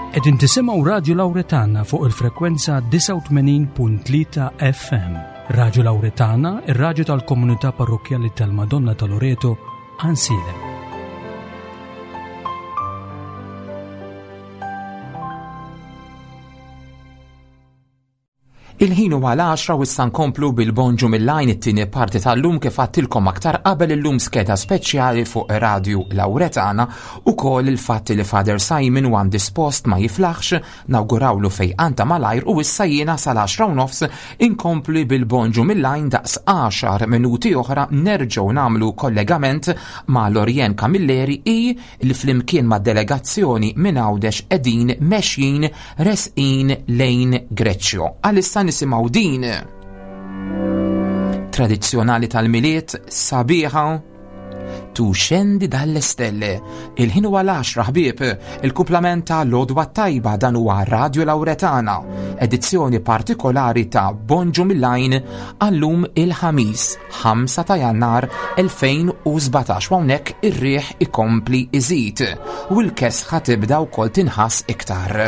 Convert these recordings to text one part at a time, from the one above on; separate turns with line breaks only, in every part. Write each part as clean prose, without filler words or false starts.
Qegħdin tisimgħu Radju Lawretana fuq il-frekwenza 89.3 FM. Radju Lawretana, ir-radju tal-komunità parrokkjali tal-Madonna ta' Loreto, Għansielem.
Il-ħin huwa l-għaxra u issa nkomplu bil-Bonġu mill-Għajn it-tieni parti tal-lum kif għadtilkom aktar qabel illum skeda speċjali fuq Radju Lawretana ukoll il-fatt li Father Simon huwa indispost ma jiflaħx nawgurawlu fejqan ta' malajr u issa jiena sal-għaxra u nofs inkompli bil-Bonġu mill-Għajn daqs għaxar minuti oħra nerġgħu nagħmlu kollegament ma' Lorien Camilleri i li flimkien ma' delegazzjoni minn Għawdex qegħdin mexjin resqin lejn Greċjo. Għalissa nisimgħu din tradizzjonali tal-Milied sabiħa Tu xendi dalle stelle. Il-ħin huwa l-10 ħbieb, il-kumplament ta' Lodwa Tajba dan huwa Radio Lauretana, edizzjoni partikolari ta' Bonġu mill-Għajn għallum il-ħamis. 5 ta' Jannar 2017 u hawnhekk ir-riħ ikompli iżid u l-kesħa tibda wkoll tinħass iktar.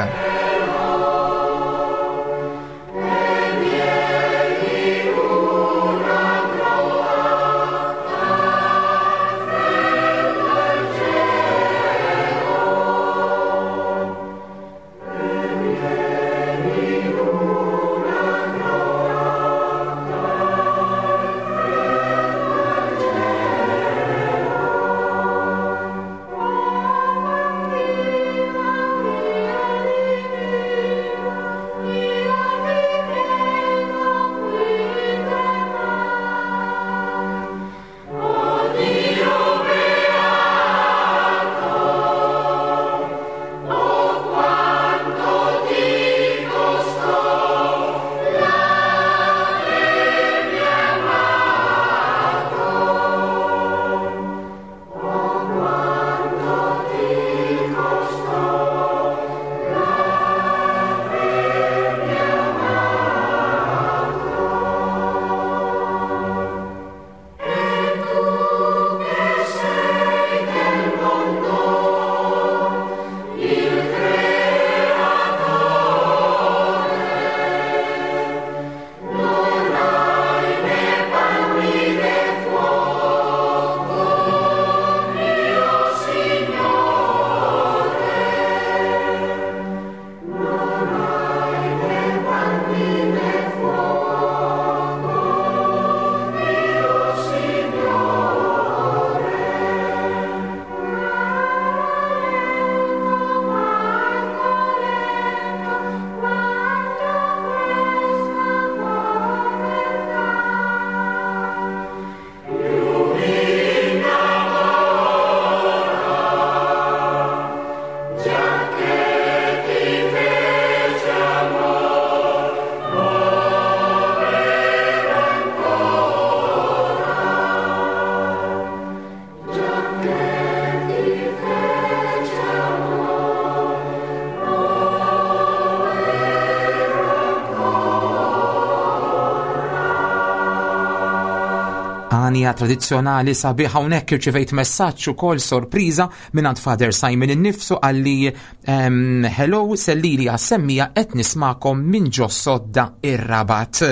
Għanja tradizzjonali sabiħ hawnhekk irċivejt messaġġ ukoll sorpriża mingħand Father Simon innifsu qalli ehm, hello sellili għas-semmija qed nismakom minn ġo sodda ir-Rabat.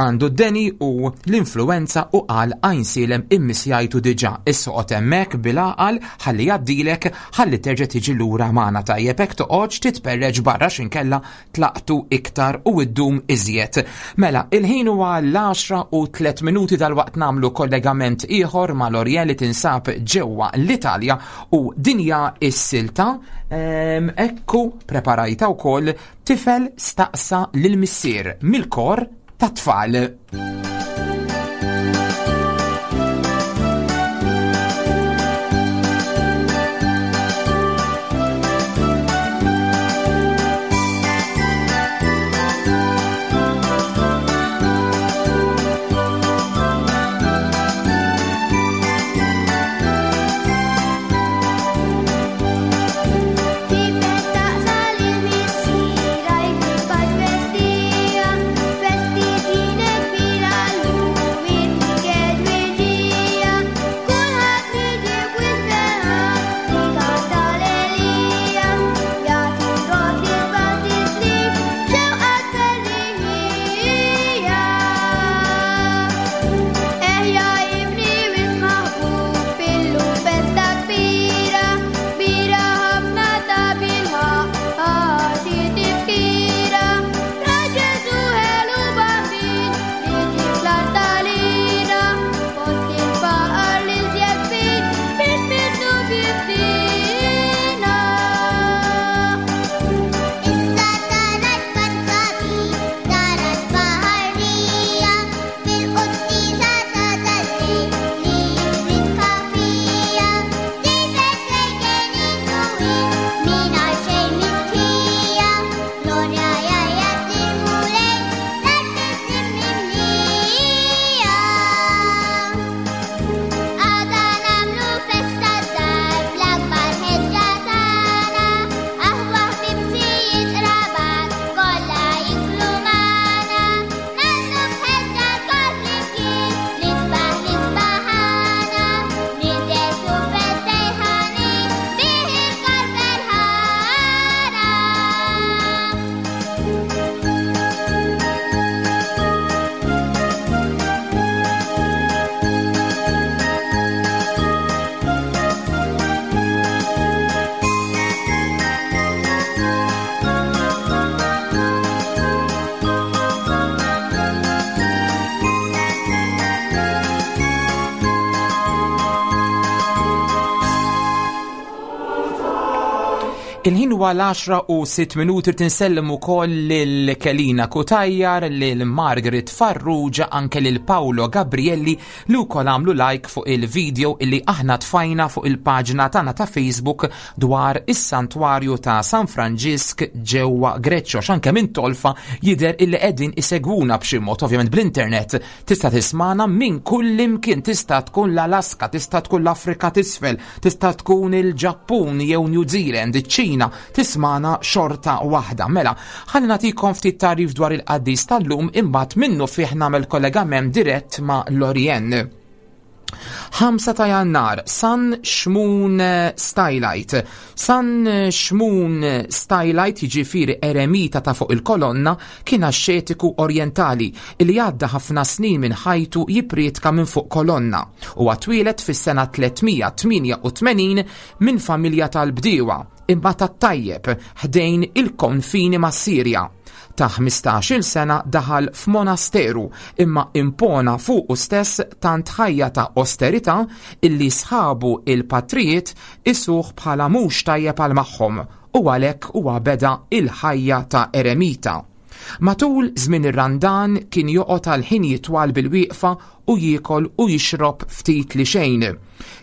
Għandu d-deni u l-influenza u qal Għajnsielem immisjajtu diġà. Issa oqgħod hemmhekk bil-għaqal ħalli jgħaddilek ħalli terġa' tiġi lura magħna tajjeb hekk toqgħodx titperreġ barra x'inkella tlaqtu iktar u iddum iżjed. Mela, il-ħin huwa l-10 u 3 minuti dalwaqt nagħmlu kollegament ieħor ma' L'Orient li tinsab ġewwa l-Italja u dinja is-silta ehm, ekku preparajta wkoll Tifel staqsa lil missier mill-kor tat-tfal. Il-ħin huwa l-10 u 6 minuti tinsellem ukoll lil Kelina Kutajjar, lil Margaret Farrugia, anke lil Paolo Gabrielli li wkoll għamlu like fuq il-video illi aħna tfajna fuq il-paġna tagħna ta' Facebook dwar is-Santwarju ta' San Franġisk ġewwa Greċċo x'anke minn tolfa jidher illi qegħdin isegwuna b'xi mod ovvjament bl-internet tista' tismana minn kull imkien tista' tkun l-Alaska, tista' tkun l-Afrika t'isfel, Tista' tkun il-Ġappun jew New Zealand, iċ-Ċina, tismana xorta waħda. Mela, ħalli nagħtikom ftit tagħrif dwar il-qaddis tal-lum imbagħad minnu fih nagħmel kollegament dirett ma' Lorien. 5 ta' jannar, San Xmun Stylite. San Xmun Stylite jiġifieri eremita ta' fuq il-kolonna kien axxetiku orjentali li għadda ħafna snin minn ħajtu jipprietka minn fuq kolonna. Huwa twieled fis-sena 388 minn familja tal-bdiewa, imma tat-tajjeb, ħdejn il-konfini mas-Sirja. Ta' 15-il sena daħal f'monasteru imma impona fuqu stess tant ħajja ta' osterità illi sħabu il-patrijiet isuh bħala mhux tajjeb għal magħhom u għalhekk huwa beda il-ħajja ta' eremita. Matul żmien ir-Randan kien joqgħod għal ħinijiet twal bil-wieqfa u jiekol u jixrob ftit li xejn.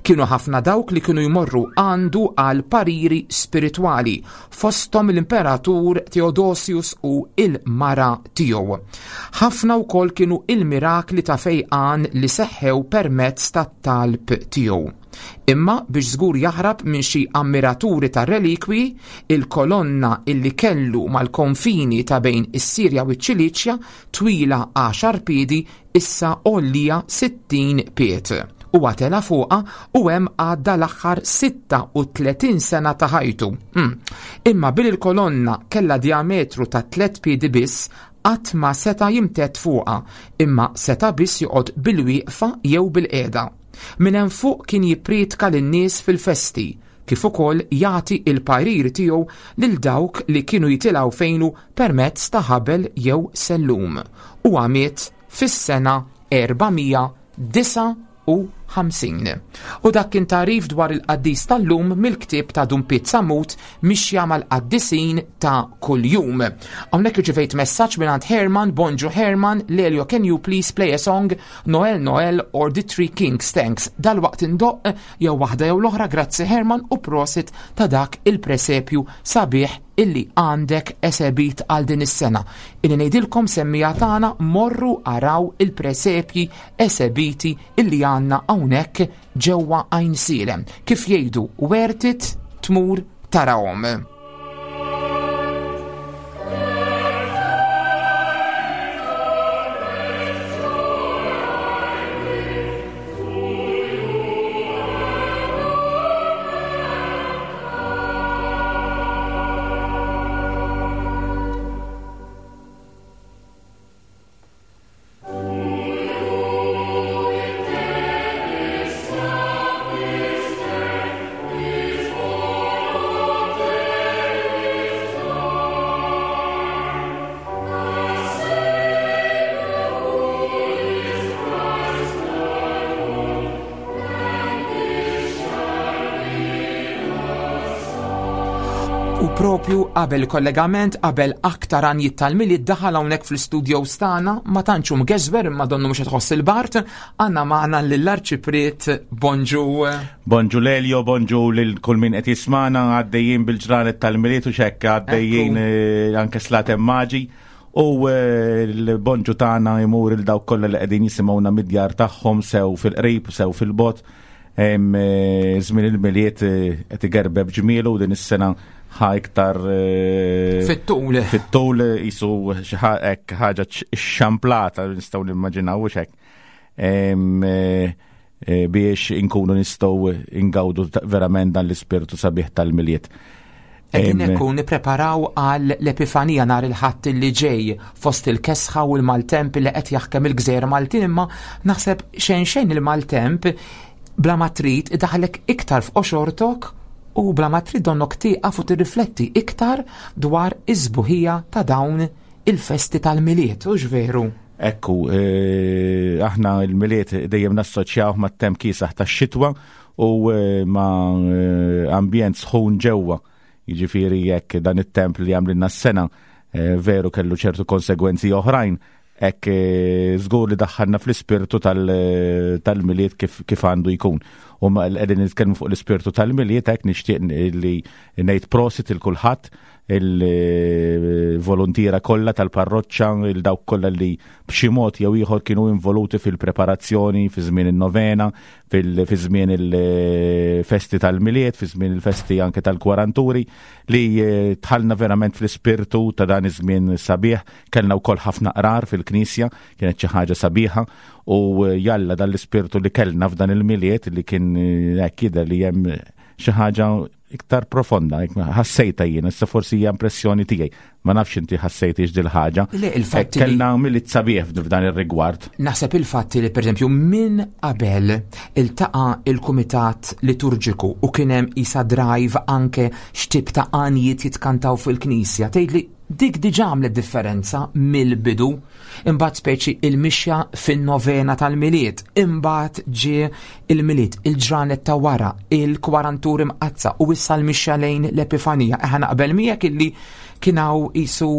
Kienu ħafna dawk li kienu jmorru għandu għal pariri spiritwali, fosthom l-Imperatur Theodosius u il-mara tiegħu. Ħafna wkoll kienu il-mirakli ta' fejqan li seħħew permezz tat-talb tiegħu. Imma biex żgur jaħrab minn xi ammiraturi tar-relikwi, il-kolonna illi kellu mal-konfini ta' bejn is-Sirja u ċ-Ċiliċja twila għaxar piedi issa għollija 60 pied. Huwa tela' fuqha u hemm għadda l-aħħar 36 sena ta' ħajtu. Hmm. Imma billi l-kolonna kellha diametru ta' tliet piedi biss, qatt ma seta' jimtedd fuqha, imma seta' biss joqgħod bil-wieqfa jew bil-qiegħda. Minn hemm fuq kien jipprietka lin-nies fil-festi, kif ukoll jagħti l-parir tiegħu lil dawk li kienu jitilgħu fejnu permezz ta' ħabel jew sellum. Huwa miet fis-sena 459. U dak kien tagħrif dwar il-qaddis tal-lum mill-ktieb ta' Dun Piet Sammut Mixja mal-qaddisin ta' kuljum. Hawnhekk irċivejt messaġġ mingħand Herman, Bonġu Herman, Lelio can you please play a song Noel Noel or The Three Kings Thanks. Dalwaqt indoqq jew waħda jew l-oħra grazzi Herman u prosit ta' dak il-presepju sabiħ illi għandek esebit għal din is-sena. Illi ngħidilkom semmija tagħna morru araw il-presepji esebiti illi għandna hawnhekk ġewwa Għajnsielem. Kif jgħidu, worth it tmur tarahom. U propju qabel kollegament, qabel aktar għanjiet tal-Milied daħal hawnhekk fl-istudio stana, ma tantx hu mgeżwer imma donnu mhux qed tħoss il-bart, għandna magħna lill-Arċipriet Bonġu.
Bonġu Lelio, bonġu lil kull min qed jismana għaddejjin bil-ġranet tal-Milied u xekk għaddejjin eh, anke slatem maġi. U eh, l-bonġu tagħna jmur il dawk kollha li qegħdin jisimgħuna mid-djar tagħhom sew fil-qrib, sew fil-bot. Eh, żmien il-Milied eh, qed igerbeb ġmielu din is-sena ħa iktar
eh, fit-tul.
Fit-tul jisu xi ħaġa xamplata nistgħu nimmaġinaw u xek. Biex inkunu nistgħu ingawdu verament dan l-ispirtu sabiħ tal-Milied.
Qegħdin ekku nippreparaw għal l-Epifanija nhar il-Ħadd li ġej fost il-kesħa u l-maltemp li qed jaħkem il-gżejjer Maltin imma naħseb xejn xejn il-maltemp bla ma trid idaħlek iktar f'qoxortok u bla ma trid donnok tieqaf u tirrifletti iktar dwar iż-sbuħija ta' dawn il-festi tal-Milied, hux veru?
Ekku, eh, aħna il-Milied dejjem nassoċjaw mat-temp kiesaħ tax-xitwa u eh, ma' eh, ambjent sħun ġewwa. Jiġifieri jekk dan it-temp li għamlilna s-sena eh, veru kellu ċertu konsegwenzi oħrajn, hekk eh, żgur li daħħalna fl-ispirtu eh, tal-miliet kif għandu jkun. U qegħdin nitkellmu fuq l-ispirtu tal-miliet hekk nixtieq li ngħid prosit il kulħadd il-volontiera kollha tal-parroċċa, il dawk kollha li b'xi mod jew ieħor kienu involuti fil-preparazzjoni fi żmien in-novena, fi żmien il-festi tal-Milied, fi żmien il-festi anke tal-kwaranturi, li eh, tħallna verament fl-ispirtu ta' dan iż-żmien sabiħ, kellna wkoll ħafna qrar fil-knisja, kienet xi ħaġa sabiħa u eh, jalla dan l-ispirtu li kellna f'dan il-Milied li kien eh, hekk jidher li hemm xi ħaġa iktar profonda, ħassejta jien, issa forsi hija impressjoni tiegħi. Ma nafx inti ħassejtix dil ħaġa.
Le, il-fatt
eh, kellna milit sabiħ f'dan ir-rigward.
Naħseb il-fatt li pereżempju minn qabel iltaqa' il-kumitat liturġiku u kien hemm isa drive anke x'tip ta' għanjiet jitkantaw fil-knisja, tgħidli dik diġà għamlet differenza mill-bidu. Imbagħad speċi il-mixja fin-novena tal-Milied, imbagħad ġie il-Milied, il-ġranet ta' wara, il-kwarantur imqazza u issa l-mixja lejn l-Epifanija. Eħa naqbel miegħek illi kien hawn isu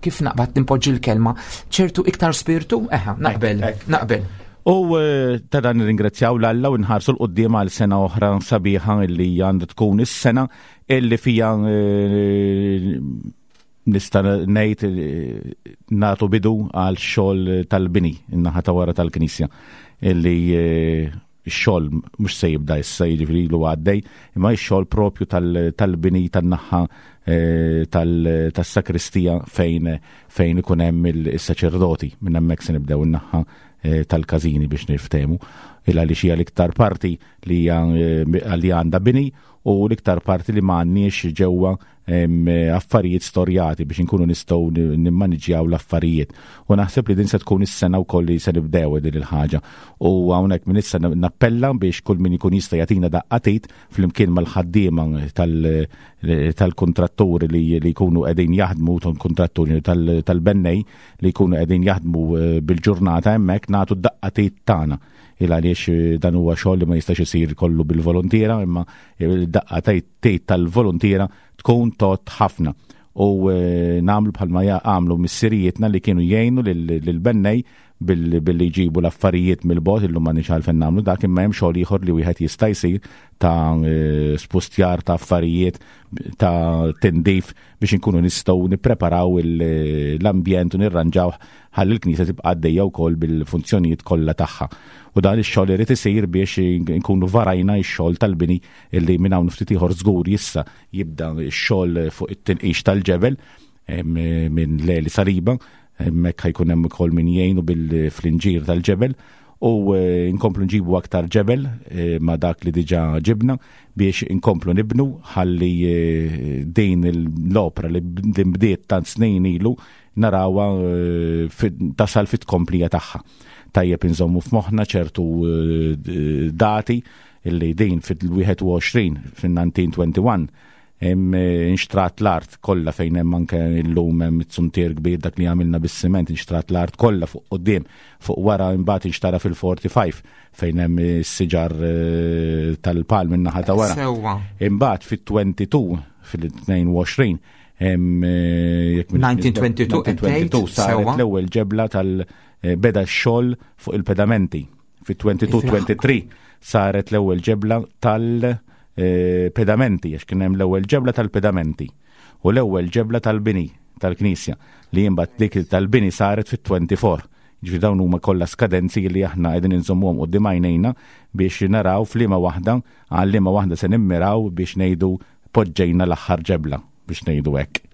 kif naqbad nimpoġġi l-kelma, ċertu iktar spirtu, eħa naqbel, naqbel.
U eh, ta' dan nirringrazzjaw l-Alla u nħarsu l-qoddim għal sena oħra sabiħa illi għandha tkun is-sena illi fija eh, nista' ngħid eh, nagħtu bidu għal xogħol tal-bini in-naħa ta' wara tal-Knisja illi eh, x-xogħol mhux se jibda issa jiġifieri ilu għaddej, imma x-xogħol propju tal-bini tan-naħa eh, tas-sakristija fejn fejn ikun hemm is-saċerdoti minn hemmhekk se nibdew in-naħa tal-każini biex niftehmu il għaliex hija l-iktar parti li li għandha bini u l-iktar parti li ma għandniex ġewwa affarijiet storjati biex inkunu nistgħu nimmaniġjaw l-affarijiet. U naħseb li din se tkun is-sena wkoll li se nibdew din il-ħaġa. U hawnhekk minn issa nappella biex kull min ikun jista' jagħtina daqqatit flimkien mal-ħaddiema tal-kontratturi li jkunu qegħdin jaħdmu tal-kontratturi tal-bennej li jkunu qegħdin jaħdmu eh, bil-ġurnata hemmhekk nagħtu d-daqqatit tagħna il għaliex eh, dan huwa xogħol li ma jistax isir kollu bil-volontiera imma daqqa tgħid tal-volontiera tkun tot ħafna u eh, namlu bħalma għamlu missirijietna li kienu jgħinu lill-bennej billi jġibu l-affarijiet mill-bot illum ma nix għalfejn nagħmlu dak imma hemm xogħol ieħor li wieħed jista' jsir ta' eh, spustjar ta' affarijiet ta' tindif biex inkunu nistgħu nippreparaw l-ambjent u nirranġaw ħalli l-Knisja tibqa' għaddejja wkoll bil-funzjonijiet kollha tagħha. U dan ix-xogħol irid isir biex nkunu varajna x-xogħol tal-bini illi minn hawn ftit ieħor żgur jissa jibda x-xogħol fuq it-tinqix tal-ġebel minn Leli Saliba, hemmhekk ħajkun hemm ukoll min jgħinu bil-flinġir tal-ġebel u eh, nkomplu nġibu aktar ġebel eh, ma dak li diġa ġibna biex inkomplu nibnu ħalli eh, din l-opra li bdiet tant snin ilu narawha tasal fit-tkomplija tagħha. Tajjeb inżommu f'moħħna ċertu dati illi din fil-21 fin-1921 inxtrat l-art kollha fejn hemm anke illum hemm it-suntier kbir dak li għamilna bis-siment inxtrat l-art kollha fuq quddiem fuq wara imbagħad inxtara fil-45 fejn hemm is-siġar eh, tal-palm in-naħa ta' wara.
Sewwa.
Imbagħad fit-22 fil-22 hemm eh, jekk
1922 qed tgħid,
1922 saret
sewwa.
l-ewwel ġebla tal eh, beda x-xogħol fuq il-pedamenti. Fit-22-23 saret l-ewwel ġebla tal-pedamenti, għax kien hemm l-ewwel ġebla tal-pedamenti u l-ewwel ġebla tal-bini tal-knisja li imbagħad dik tal-bini saret fit-24. Ġifieri dawn huma kollha skadenzi li aħna qegħdin inżommuhom quddiem għajnejna biex naraw f'liema waħda għal liema waħda se nimmiraw biex ngħidu poġġejna l-aħħar ġebla biex ngħidu hekk.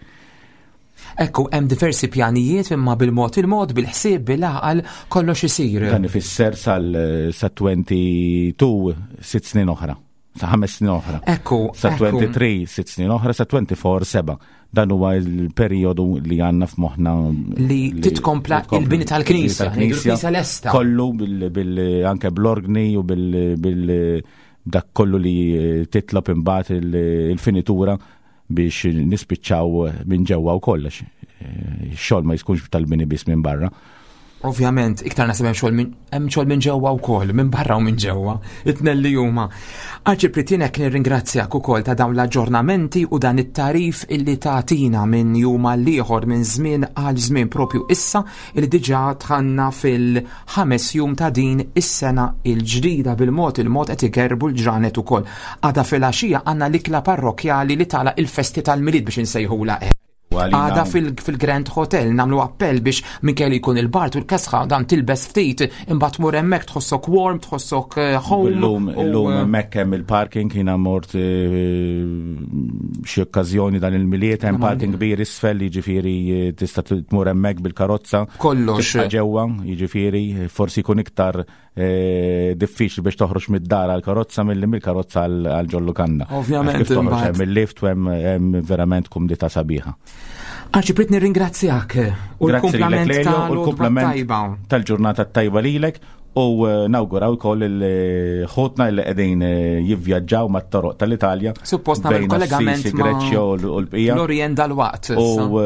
Ekku, hemm diversi pjanijiet imma bil-mod il-mod, bil-ħsieb, bil-għaqal, kollox isir.
Dan ifisser sal sa 22 sitt snin oħra. Sa ħames snin oħra.
Ekku,
Sa 23 sitt snin oħra, sa 24 seba. Dan huwa l-perjodu li għandna f'moħħna
li titkompla il-bini tal-knisja, il-knisja lesta.
Kollu bil anke bl-orgni u bil dak kollu li titlob imbagħad il-finitura biex nispiċċaw minn ġewwa wkoll għax eh, xogħol ma jiskunx tal-bini biss minn barra.
Ovvjament, iktar naħseb hemm xogħol minn hemm xogħol minn ġewwa wkoll, minn barra u minn ġewwa, it-tnejn li huma. Arċipriet jien hekk nirringrazzjak ukoll ta' dawn l-aġġornamenti u dan it-tagħrif illi tagħtina minn jum għal ieħor minn żmien għal żmien propju issa illi diġà dħalna fil-ħames jum ta' din is-sena il-ġdida bil-mod il-mod qed igerbu l-ġranet ukoll. Għada filgħaxija għandna l-ikla parrokkjali li tagħlaq il-festi tal-Milied biex insejħulha hekk. Għada fil-Grand Hotel namlu appell biex minkejja li jkun il-bart u l-kesħa dan tilbes ftit imbagħad tmur hemmhekk tħossok warm, tħossok eh, home.
Illum illum eh, hemmhekk hemm il-parking jiena mort eh, xi okkażjoni dan il-miliet hemm parking kbir isfel jiġifieri tista' tmur hemmhekk bil-karozza.
Kollox.
Ġewwa, jiġifieri forsi jkun iktar Eh, diffiċli biex toħroġ mid-dar għal karozza milli mill-karozza għal ġollu kanna.
Ovvjament.
Kif toħroġ hemm il-lift u hemm verament kumdita sabiħa.
Arċipriet nirringrazzjak u
l-kumplament tal-ġurnata tajba lilek u eh, nawguraw ukoll il-ħutna li qegħdin eh, jivvjaġġaw mat-toroq tal-Italja.
Suppost nagħmel kollegament
ma' Greċja u l-bqija.
L-Orient dal-waqt.
U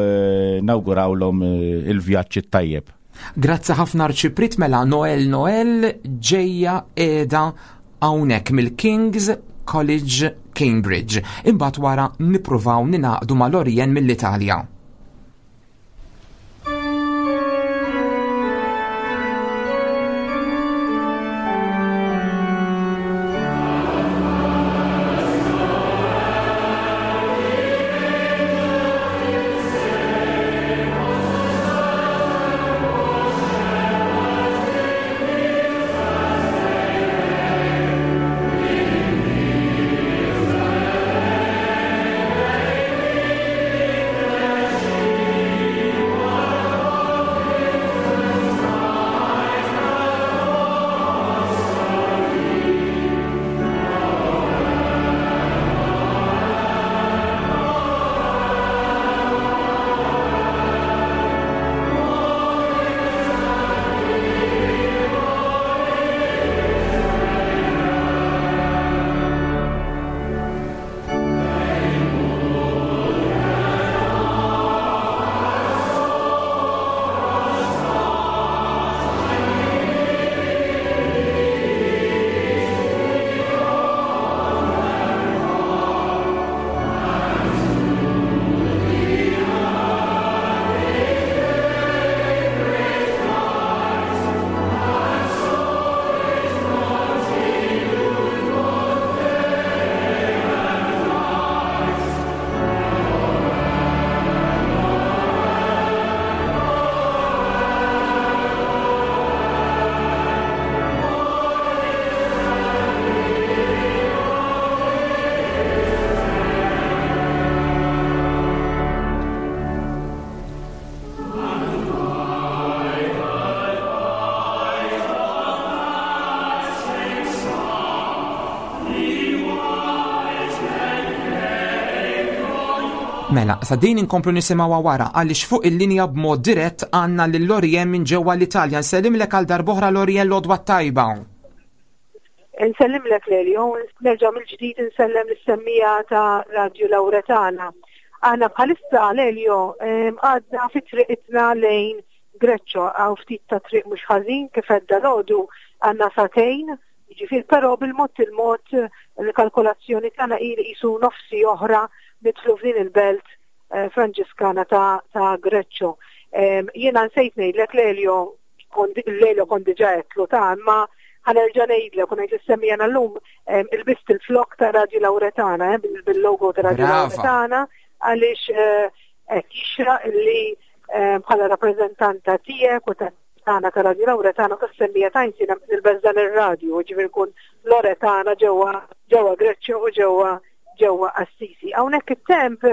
nawgurawlhom il-vjaġġ tajjeb.
Grazzi ħafna Arċipriet mela Noel Noel ġejja qiegħda hawnhekk mill-King's College Cambridge. Imbagħad wara nippruvaw ningħaqdu ma' Lorien mill-Italja. Mela, sa din inkomplu nisimgħuha wara għaliex fuq il-linja b'mod dirett għandna lil Lorien minn ġewwa l-Italja. Nsellimlek għal darb'oħra Lorien l-għodwa t-tajba.
Nsellimlek Lelio, nerġa' mill-ġdid insellem lis-semmija ta' Radju Lauretana. Aħna bħalissa Lelio għadna fi triqitna lejn Greċċo, għaw ftit ta' triq mhux ħażin kif għedda l għandna sagħtejn, jiġifieri però bil-mod il-mod il-kalkolazzjoni tagħna hi li qisu nofsi oħra nidħlu f'din il-belt eh, Franġiskana ta', ta Greċċo. Jiena nsejt ngħidlek Lelio Lelio kont diġà għedtlu ta' imma ħanerġa' ngħidlek u ngħid lis-semmiegħa llum ilbist il-flok ta' Radju Lauretana eh, bil-logo ta' Radju Lauretana għaliex eh, hekk jixraq li eh, bħala rappreżentanta tiegħek u tagħna ta' Radju Lauretana u tas-semmiegħa ta' jiena nilbes dan ir-radju, ġifieri nkun Loretana ġewwa ġewwa Greċċja u ġewwa ġewwa Assisi. Hawnhekk it-temp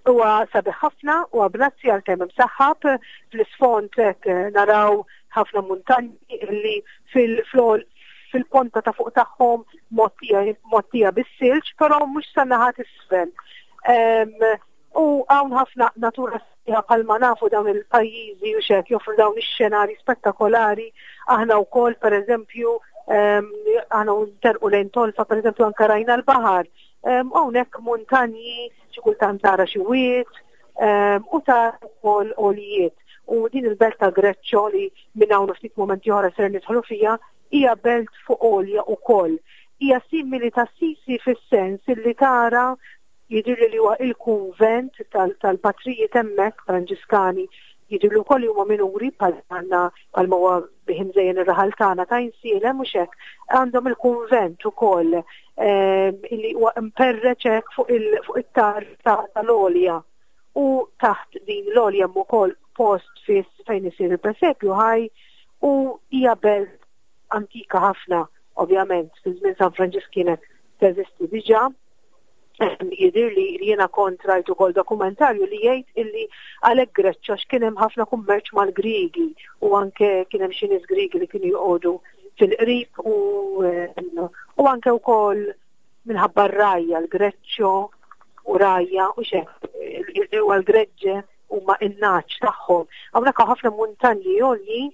Huwa sabiħ ħafna, huwa bnazzi għalkemm imsaħħab, fl-isfond hekk eh, naraw ħafna muntanji li fil-ponta ta' fuq tagħhom mottija bis-silġ, però mhux sa naħat isfel. U hawn ħafna natura sabiħa bħalma nafu dawn il-pajjiżi u xek joffru dawn ix-xenari spettakolari. Aħna wkoll pereżempju aħna nterqu lejn tolfa pereżempju anke rajna l-baħar. Hawnhekk muntanji xi kultant tara xi wied u tara wkoll għolijiet. U din il-belt ta' Greccio li minn hawn ftit mumenti oħra ser nidħlu fiha hija belt fuq għolja wkoll. Hija simili ta' Sisi fis-sens illi tara jidhirli li huwa il-kunvent tal-patrijiet hemmhekk Franġiskani jidhirli wkoll li huma minuri bħal għandna bħalma huwa bih imżejjen ir-raħal tagħna ta' Insielem mhux hekk. Għandhom il-kunvent ukoll ehm, illi huwa imperreċ hekk fuq it-tar tal-għolja u taħt din l-għolja hemm ukoll post fiss fejn isir il-presepju ħaj u hija belt antika ħafna, ovvjament, fi żmien San Franġisk kienet teżisti diġà. Jidhir li jiena kont rajt ukoll dokumentarju li jgħid illi għalhekk Greċċa x'kien hemm ħafna kummerċ mal-Griegi u anke kien hemm xi nies Griegi li kienu joqogħdu fil-qrib u, u anke wkoll minħabba r-rajja l-Greċċo u rajja u xek u għal-Greġġe huma in-naċ tagħhom. Hawnhekk hawn ħafna muntanji għoljin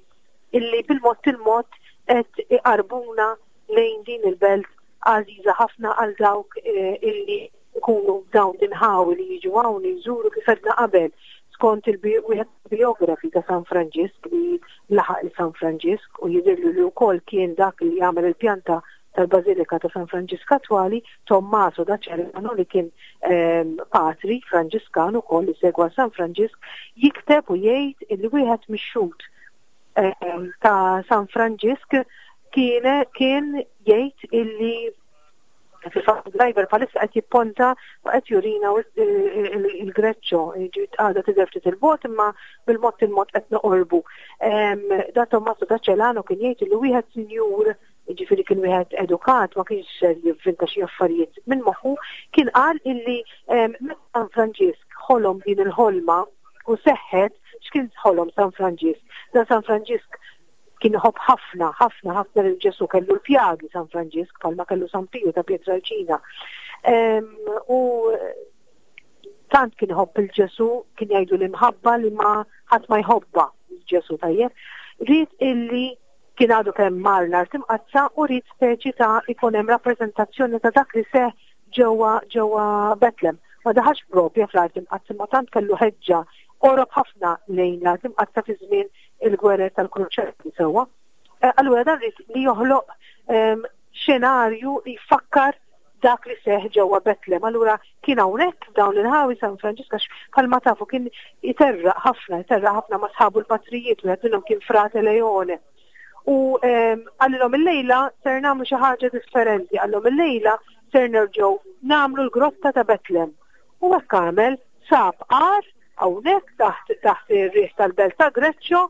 illi bil-mod il-mod qed iqarbuna lejn din il-belt għażiża ħafna għal dawk eh, illi jkunu dawn l-inħawi li jiġu hawn jżuru kif għedna qabel skont il-wieħed biografi ta' San Franġisk li laħaq il San Franġisk u jidhirlu li wkoll kien dak li jagħmel il-pjanta tal-Bażilika ta' San Franġisk attwali, Tommaso da Celano li kien ehm, patri Franġiskan ukoll li segwa San Franġisk, jikteb u jgħid illi wieħed mix-xhud ehm, ta' San Franġisk kien kien jgħid illi fil-fatt driver bħalissa qed jipponta u qed jurina il-Greċċo, ġiet għadha tidher ftit il-bot imma bil-mod il-mod qed noqorbu. Ehm, da Tommaso da Celano kien jgħid li wieħed sinjur jiġifieri kien wieħed edukat, ma kienx ser jivvinta xi affarijiet minn moħħu, kien qal illi meta San Franġisk ħolom din il-ħolma u seħħet x'kien ħolom San Franġisk. Dan San Franġisk kien iħobb ħafna, ħafna, ħafna lil Ġesu kellu l-pjagi San Franġisk bħalma kellu San Piju ta' Pietrelcina. U tant kien iħobb il-Ġesu, kien jgħidu l-imħabba li ma ħadd ma jħobba il-Ġesu tajjeb. Ried illi Kien għadu kemm mar l-Art Imqaddsa u ried speċi ta' ikun hemm rappreżentazzjoni ta' dak li seħħ ġewwa ġewwa Betlem. Ma daħalx propja fl-Art Imqaddsa imma tant kellu ħeġġa qorob ħafna lejn l-Art Imqaddsa fi żmien il-gwerer tal-Kruċjati sewwa. Eh, allura dan ried li joħloq ehm, xenarju li jfakkar dak li seħ ġewwa Betlem. Allura kien hawnhekk f'dawn l-inħawi San Franġisk għax bħalma tafu kien iterraq ħafna, iterraq ħafna ma' sħabu l-patrijiet, wieħed minnhom kien Frate Leone. U ehm, qalilhom illejla ser nagħmlu xi ħaġa differenti, qalilhom illejla ser nerġgħu nagħmlu l-grotta ta' Betlem. U hekk għamel sab għar hawnhekk taħt taħt ir-riħ tal-belt ta' Greċċo,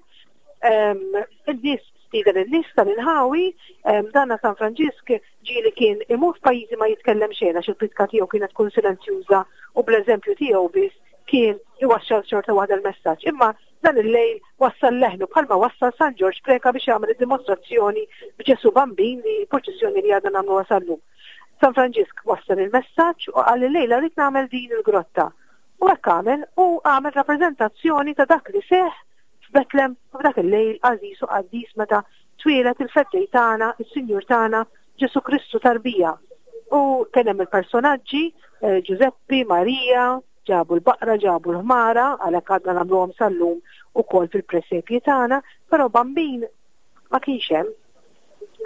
ehm, in-nies stieden in-nies tal-inħawi, ehm, danna San Franġisk Ġieli kien imur f'pajjiżi ma jitkellem xejn għax il-pritka tiegħu kienet tkun silenzjuża u bl-eżempju tiegħu biss kien iwassal xorta waħda l-messaġġ. Imma dan il-lejl wassal leħnu bħalma wassal San Ġorġ Preca biex jagħmel id-dimostrazzjoni b'Ġesù Bambin li purċissjoni li għadna nagħmluha sal-lum. San Franġisk wassal il-messaġġ u qal illejla rrid nagħmel din il-grotta. U hekk għamel u għamel rappreżentazzjoni ta' dak li seħħ f'Betlem f'dak il-lejl għażiż u qaddis meta twieled il-Feddej tagħna, is-Sinjur tagħna, Ġesù Kristu tarbija. U kien hemm il-personaġġi, eh, Ġużeppi, Marija, ġabu l-baqra, ġabu l-ħmara, għalhekk għadna nagħmluhom sal-lum ukoll fil-presepji tagħna, però bambin ma kienx hemm.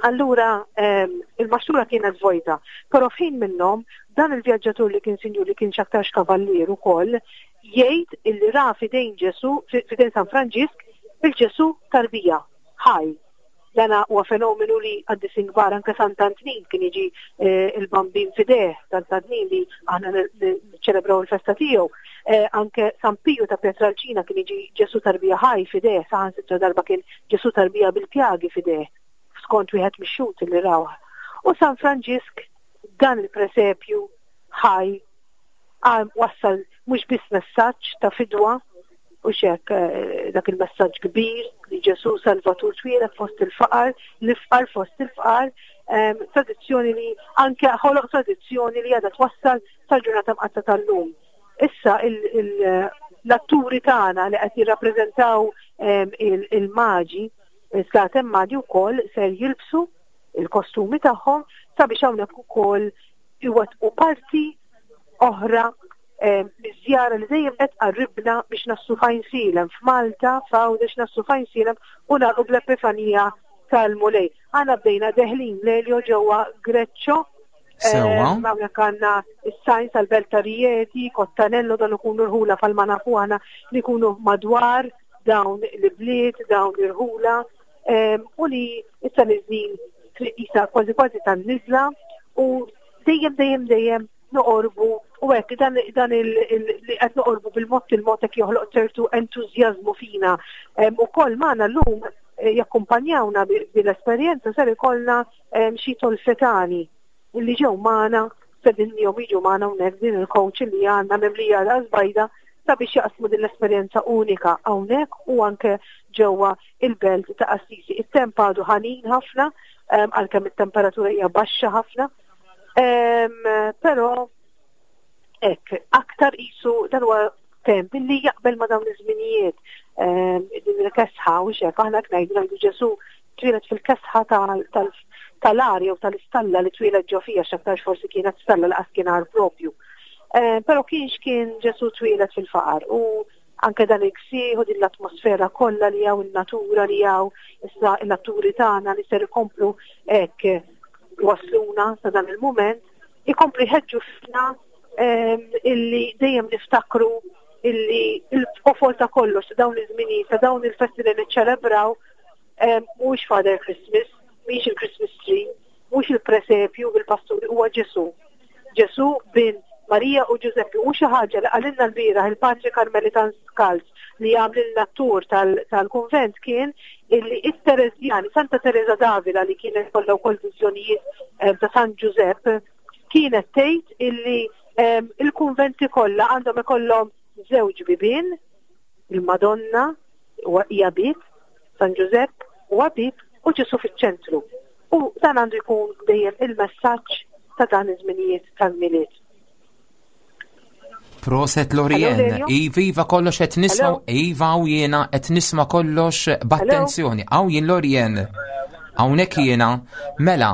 Allura ehm, il-maxtura kienet vojta, però f'ħin minnhom dan il-vjaġġatur li kien sinjur li kien x'aktarx kavallier ukoll jgħid illi ra f'idejn Ġesù, f'idejn San Franġisk, il-Ġesù tarbija, ħaj. Dan huwa fenomenu li qaddisin kbar anke Sant'Antnin kien jiġi eh, il-bambin f'idejh, Sant'Antnin li aħna niċċelebraw il-festa tiegħu. Eh, anke San Piju ta' Pietralcina kien jiġi Ġesù tarbija ħaj f'idejh, saħansitra darba kien Ġesù tarbija bil-pjagi f'idejh, skont wieħed mix-xhud li rawh. U San Franġisk dan il-presepju ħaj wassal mhux biss messaġġ ta' fidwa u xek eh, dak il-messaġġ kbir li Ġesù Salvatur twieled fost il-faqar, l-ifqar fost il-faqar, ehm, tradizzjoni li anke ħoloq tradizzjoni li għadha twassal sal-ġurnata mqatta tal-lum. Issa l-atturi tagħna li qed jirrappreżentaw ehm, il-maġi, il-slatem maġi wkoll ser jilbsu il-kostumi tagħhom sabiex hawnhekk ukoll iwettqu parti oħra Iż-żjara li dejjem qed tqarribna biex naslu f'Għajnsielem, f'Malta, f'Għawdex naslu f'Għajnsielem u nagħlqu bl-Epifanija tal-Mulej. Aħna bdejna deħlin Lelio ġewwa Greccio.
Sewwa.
Hawnhekk għandna is-sajn tal-Belt ta' Rieti, Kottanello dan ikunu rħula falma nafu aħna li jkunu madwar dawn l-ibliet, dawn l-irħula u li issa niżlin triq isa kważi kważi tan-niżla u dejjem dejjem dejjem noqorbu u hekk dan, dan il, il, li qed noqorbu bil-mod il-mod hekk joħloq ċertu entużjażmu fina. Ukoll magħna llum eh, jakkumpanjawna bil-esperjenza ser ikollna xi tolfetani li ġew magħna stedinniehom jiġu magħna hawnhekk din il-coach li għandna mimlija ras bajda sabiex jaqsmu din l-esperjenza unika hawnhekk u anke ġewwa il-belt ta' Assisi. It-temp għadu ħanin ħafna għalkemm it-temperatura hija baxxa ħafna. Però hekk aktar qisu dan huwa temp illi jaqbel ma' dawn iż-żminijiet din il-kesħa u xek aħna ngħidu ngħidu Ġesu twieled fil-kesħa tal-arja u tal-istalla li twieled ġo fija x'aktarx forsi kienet stalla li qas kien għar propju. Eh, però kienx kien Ġesu twieled fil-faqar u anke dan il-ksieħ u din l-atmosfera kollha li hawn in-natura li hawn issa l-atturi tagħna li ser ikomplu hekk wasluna sa dan il-mument, ikomplu jħeġġu fina ehm, illi dejjem niftakru illi il-qofol ta' kollox ta' dawn iż-żminijiet, ta' dawn il-festi li niċċelebraw mhuwiex Father Christmas, mhix il-Christmas tree, mhux il-presepju bil-pasturi, huwa Ġesù. Ġesù bin Marija u Ġużeppi u xi ħaġa li qalilna l-bieraħ il-Patri Karmelitan Skalz li għamlilna t-tur tal-kunvent kien illi it-Tereżjani, Santa Teresa d'Avila li kienet kollha wkoll viżjonijiet ta' San Ġużepp, kienet tgħid illi il-kunventi kollha għandhom ikollhom żewġ bibien, il-Madonna hija bieb, San Ġużepp huwa bieb u Ġesù fiċ-ċentru. U dan għandu jkun dejjem il-messaġġ ta' dan iż-żminijiet tal-Milied.
Proset Lorien, Iva, Iva kollox qed nisma' Iva u jiena qed nisma' kollox b'attenzjoni. Hawn jien Lorien. Hawnhekk jiena. Mela,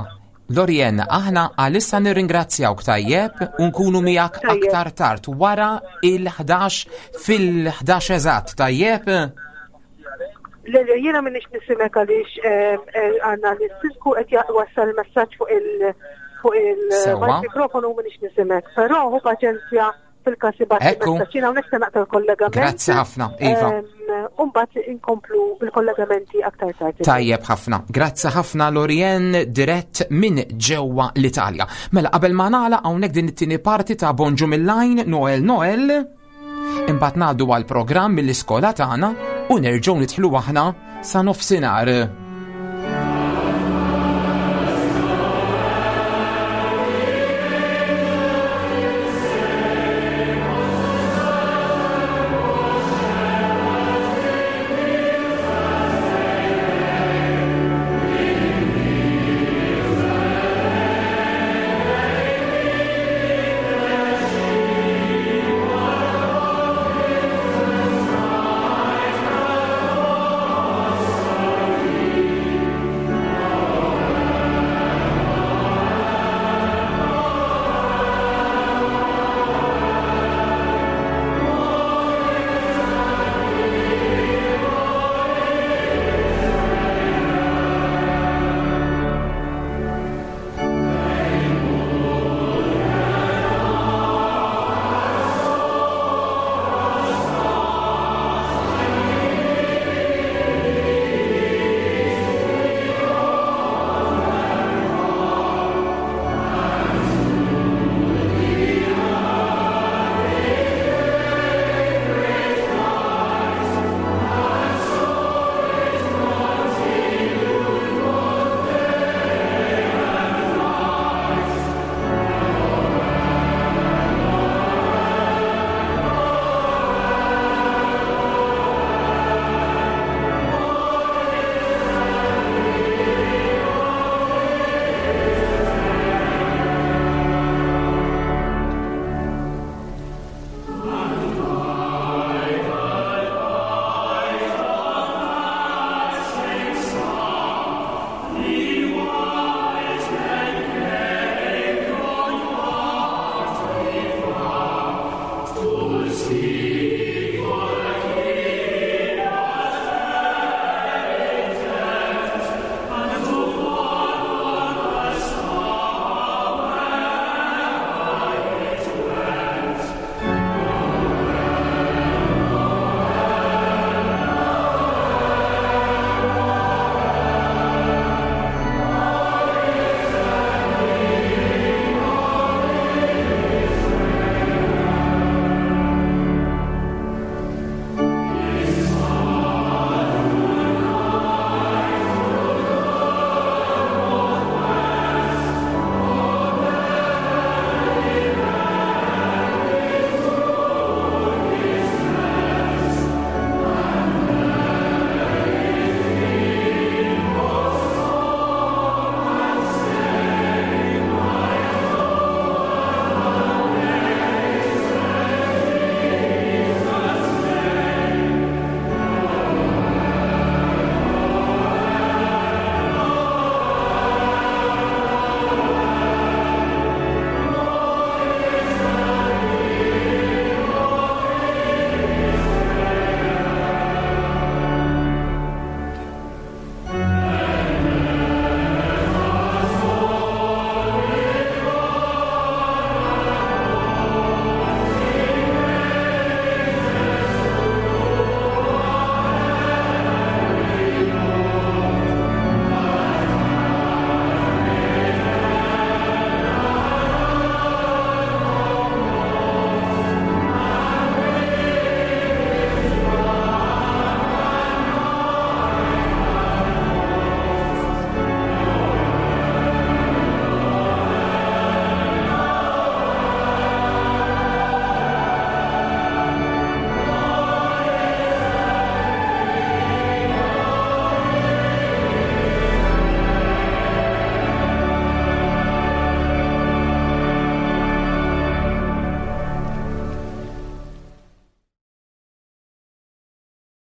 Lorien, aħna għalissa nirringrazzjawk tajjeb u nkunu miegħek aktar tard wara il-11 fil-11 eżatt tajjeb.
Lelio, jiena minix nisimek għaliex eh, eh, għanna l-sisku qed wassal il-messaġġ fuq il- fuq il-mikrofonu minix nisimek. Però hu paċenzja fil-każ ibgħat messaġġ. Jiena hawnhekk se naqta' l-kollegament.
Grazzi ħafna, Iva.
Umbagħad inkomplu bil-kollegamenti aktar tard.
Tajjeb ħafna. Grazzi ħafna Lorien dirett minn ġewwa l-Italja. Mela qabel ma nagħlaq hawnhekk din it-tieni parti ta' Bonġu mill-Lajn Noel Noel. Imbagħad ngħaddu għall programm mill-iskola tagħna u nerġgħu nidħlu aħna sa nofsinhar.